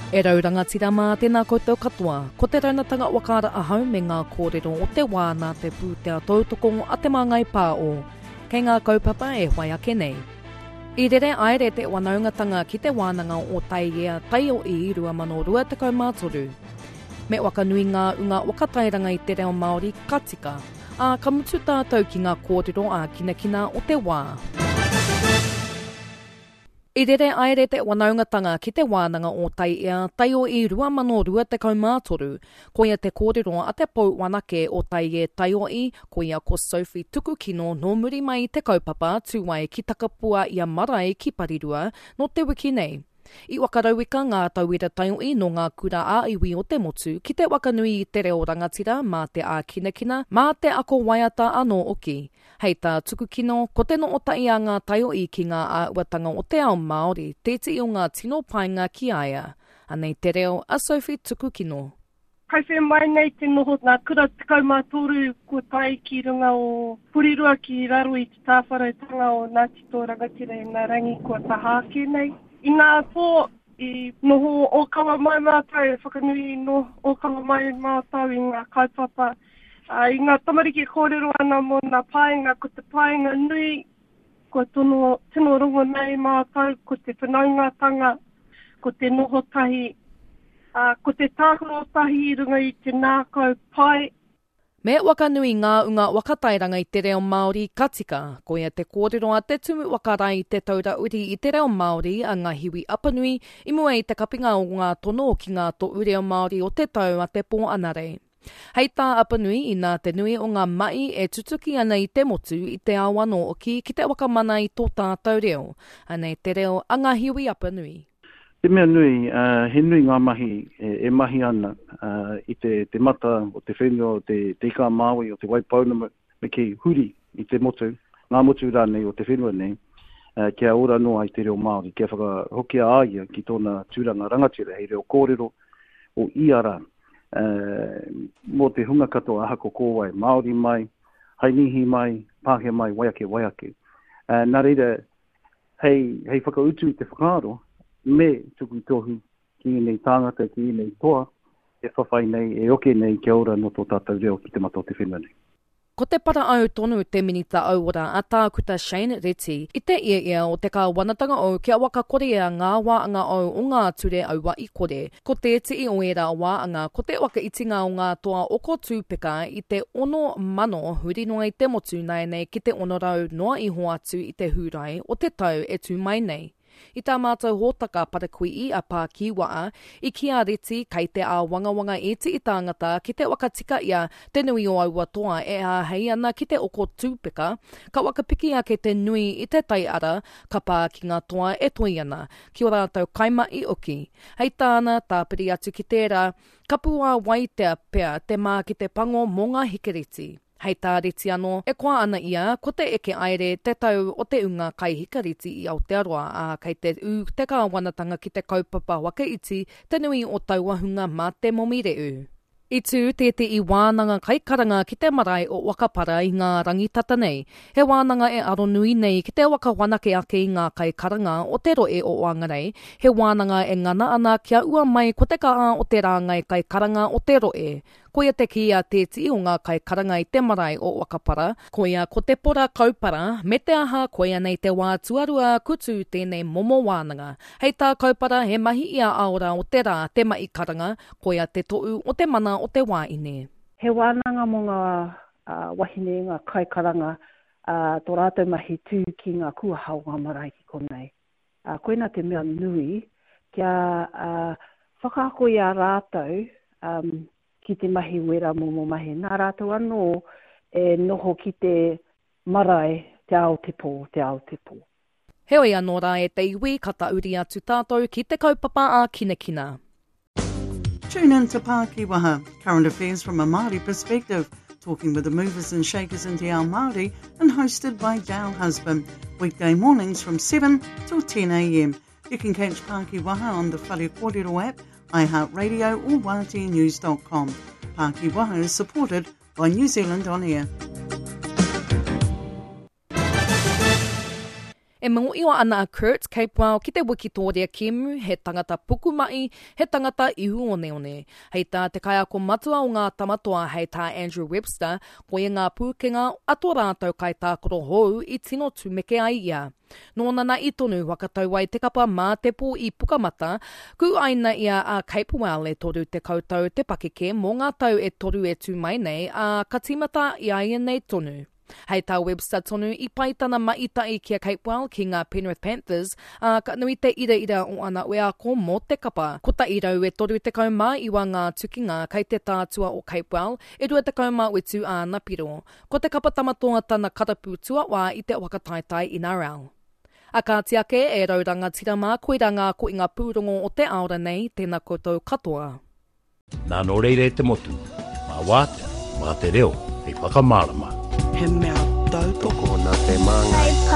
E rau rangatira mā, tēnā koutou katoa. Ko te raunatanga whakaara ahau me ngā kōrero o te wā nā te pūtea tautoko a Te Māngai Pāo. Kei ngā kaupapa e whai ake nei. I rere aere te wanaungatanga ki te wānanga o Taiea Taio'i 2023. Me whakanui ngā unga whakatairanga i te reo Māori ka tika, ā, ka mutu tātou ki ngā kōrero ākinakina o te wā. I rere aere te wanaungatanga ki te wānanga o Taiea Taio'i 2023. Koia te kōrero a te pou wanake o Taiē Taio'i, koia ko Sophie Tukukino nō muri mai i te kaupapa tū ai ki Takapua i a Marae ki Parirua nō te wiki nei. I whakarauika ngā tauira taio'i nō ngā kura ā-iwi o te motu ki te wakanui i te reo rangatira mā te ākinakina, mā te ako waiata anō hoki. Hei tā Tukukino, ko te nootahi a ngā taiohi ki ngā āhuatanga o te ao Māori tētehi o ngā tino painga ki a ia. Anei te reo a Sophie Tukukino. Kai whē mai nei te noho ngā kura 13 kua tae ki runga o Porirua ki raro i te tāwharautanga o Ngāti Tō Rangatira i ngā rangi kua taha ake nei. I ngā pō i noho ōkawa mai mātou, e whakanui noho ōkawa mai mātou i ngā kaupapa Ā, i ngā tamariki e kōrero ana mō ngā painga, ko te painga nui kua tono, tino rongo nei mātou, ko te whanaungatanga, ko te noho tahi, ā, ko te tākaro tahi i runga i te ngākau pai. Me wakanui ngā unga whakatairanga i te reo Māori ka tika. Koia te kōrero a te Tumu Whakarae i Te Taura Uri i te Reo Māori a Ngahiwi Apanui i mua i te kapinga o ngā tono ki ngā tohu reo Māori o te tau a te Pō Anarei. Hei tā Apanui, inā te nui o ngā mahi e tutuki ana i te motu, i te ao anō hoki ki te whakamana i tō tātou reo. Anei te reo a Ngahiwi Apanui. Te mea nui, he nui ngā mahi e mahi ana i te mata o te whenua o Te Ika-a-Māui, o Te Waipounamu, me kī, huri i te motu, ngā motu rānei o te whenua nei, kia ora noa ai te reo Māori, kia whakahokia a ia ki tōna tūranga rangatira hei reo kōrero o ia rā, mō te hunga katoa ahako ko wai, Māori mai, Hainīhi mai, Pākehā mai, wai ake, wai ake. Nā reira, hei, hei whakautu i te whakaaro, me tuku tohu ki ēnei tāngata, ki ēnei toa e whawhai nei, e oke nei kia ora nō tō tātou reo ki te mata o te whenua nei. Ko te parau tonu te Minita Auora a Tākuta Shane Reti i te ieia o te kāwanatanga ou kia whakakorea ngā wāanga ou o ngā ture aua i kore. Ko tētehi o ērā wāanga ko te whakaitinga o ngā toa oko tūpeka i te 6,000 huri noa i te motu nāianei ki te 600 noa iho atu i te Hūrae o te tau e tū mai nei. I tā mātou hōtaka parakuihi a Pākīwaa, i kī a Reti kei te āwangawanga ētehi tāngata ki te whakatika ia te nui o aua toa e āhei ana ki te oko tūpeka, ka whakapiki ake te nui i te taiara ka pā ki ngā toa e toi ana, ki ō rātou kaimahi hoki. Hei tāna, tāpiri atu ki tērā, ka puāwaitea pea te mā ki te pango mō ngā hikereti. Hei tā Reti anō, e koa ana ia ko te eke aere te tau o te ūnga kaihikareti i Aotearoa, ā, kei te ū te kāwanatanga ki te kaupapa waka iti te nui o taua hunga mā te momi reu. I tū tētehi wānanga kaikaranga ki te marae o Wakapara i ngā rangi tata nei. He wānanga e aronui nei ki te whakawhanake ake i ngā kaikaranga o te rohe o Whangarei, he wānanga e ngana ana kia ua mai ko te kaha o te rāngai kaikaranga o te rohe. Koia te kī a tētehi o ngā kaikaranga i te marae o Wakapara, koia ko Te Pora Kaupara, me te aha koia nei te wā tuarua ku tū tēnei momo wānanga. Hei tā Kaupara he mahi ia aora o te rā te mahi karanga, koia te toʻu o te mana o te wāine. He wānanga mō ngā wahine, ngā kaikaranga, tō rātou mahi tū ki ngā kuaha o ngā marae ki konei. Ā, koina te mea nui, kia whakaako i a rātou ki te mahi wera momo mahi. Nā rātou anō e noho ki te marae, te ao te pō, te ao te pō. Heoi anō rā e te iwi, ka tahuri atu tātou ki te kaupapa ā-kinakina. Tune in to Pākiwaha, current affairs from a Māori perspective, talking with the movers and shakers in Te Ao Māori and hosted by Dale Husband, weekday mornings from 7 till 10 a.m. You can catch Pākiwaha on the Whare Kōrero app, iHeartRadio or wāteanews.com. Pākiwaha is supported by New Zealand On Air. E E mōhio ana a Kurt Capewell ki te wikitōria kēmu, he tangata pukumahi, he tangata ihu oneone. Hei tā te kaiako matua o ngā Tama Toa hei tā Andrew Webster, koia ngā pūkenga a tō rātou kaitākaro hou i tino tumeke ai ia. Nōna nā i tonu whakatau ai te kapa mā te pō i Pukamata, kūaina ia a Capewell e 30 tau te pakeke mō ngā tau e toru e tū mai nei, ā, ka tīmata i a ia nei tonu. Hei tā Webster tonu, i pai tana maita'i ki a Capewell ki ngā Penrith Panthers, ā, ka nui te iraira o ana wheako mō te kapa. 139 ngā tukinga kei te tātua o Capewell, e 27 āna piro. Ko te kapa Tamatoa tana karapu tuawhā i te whakataetae NRL. A kāti ake, e rau rangatira mā, koirā ngā koinga pūrongo o te aora nei, tēnā koutou katoa. Nā nō reira e te motu, mā wātea, mā te reo hei whakamārama. He mea tautoko nā te Māngai.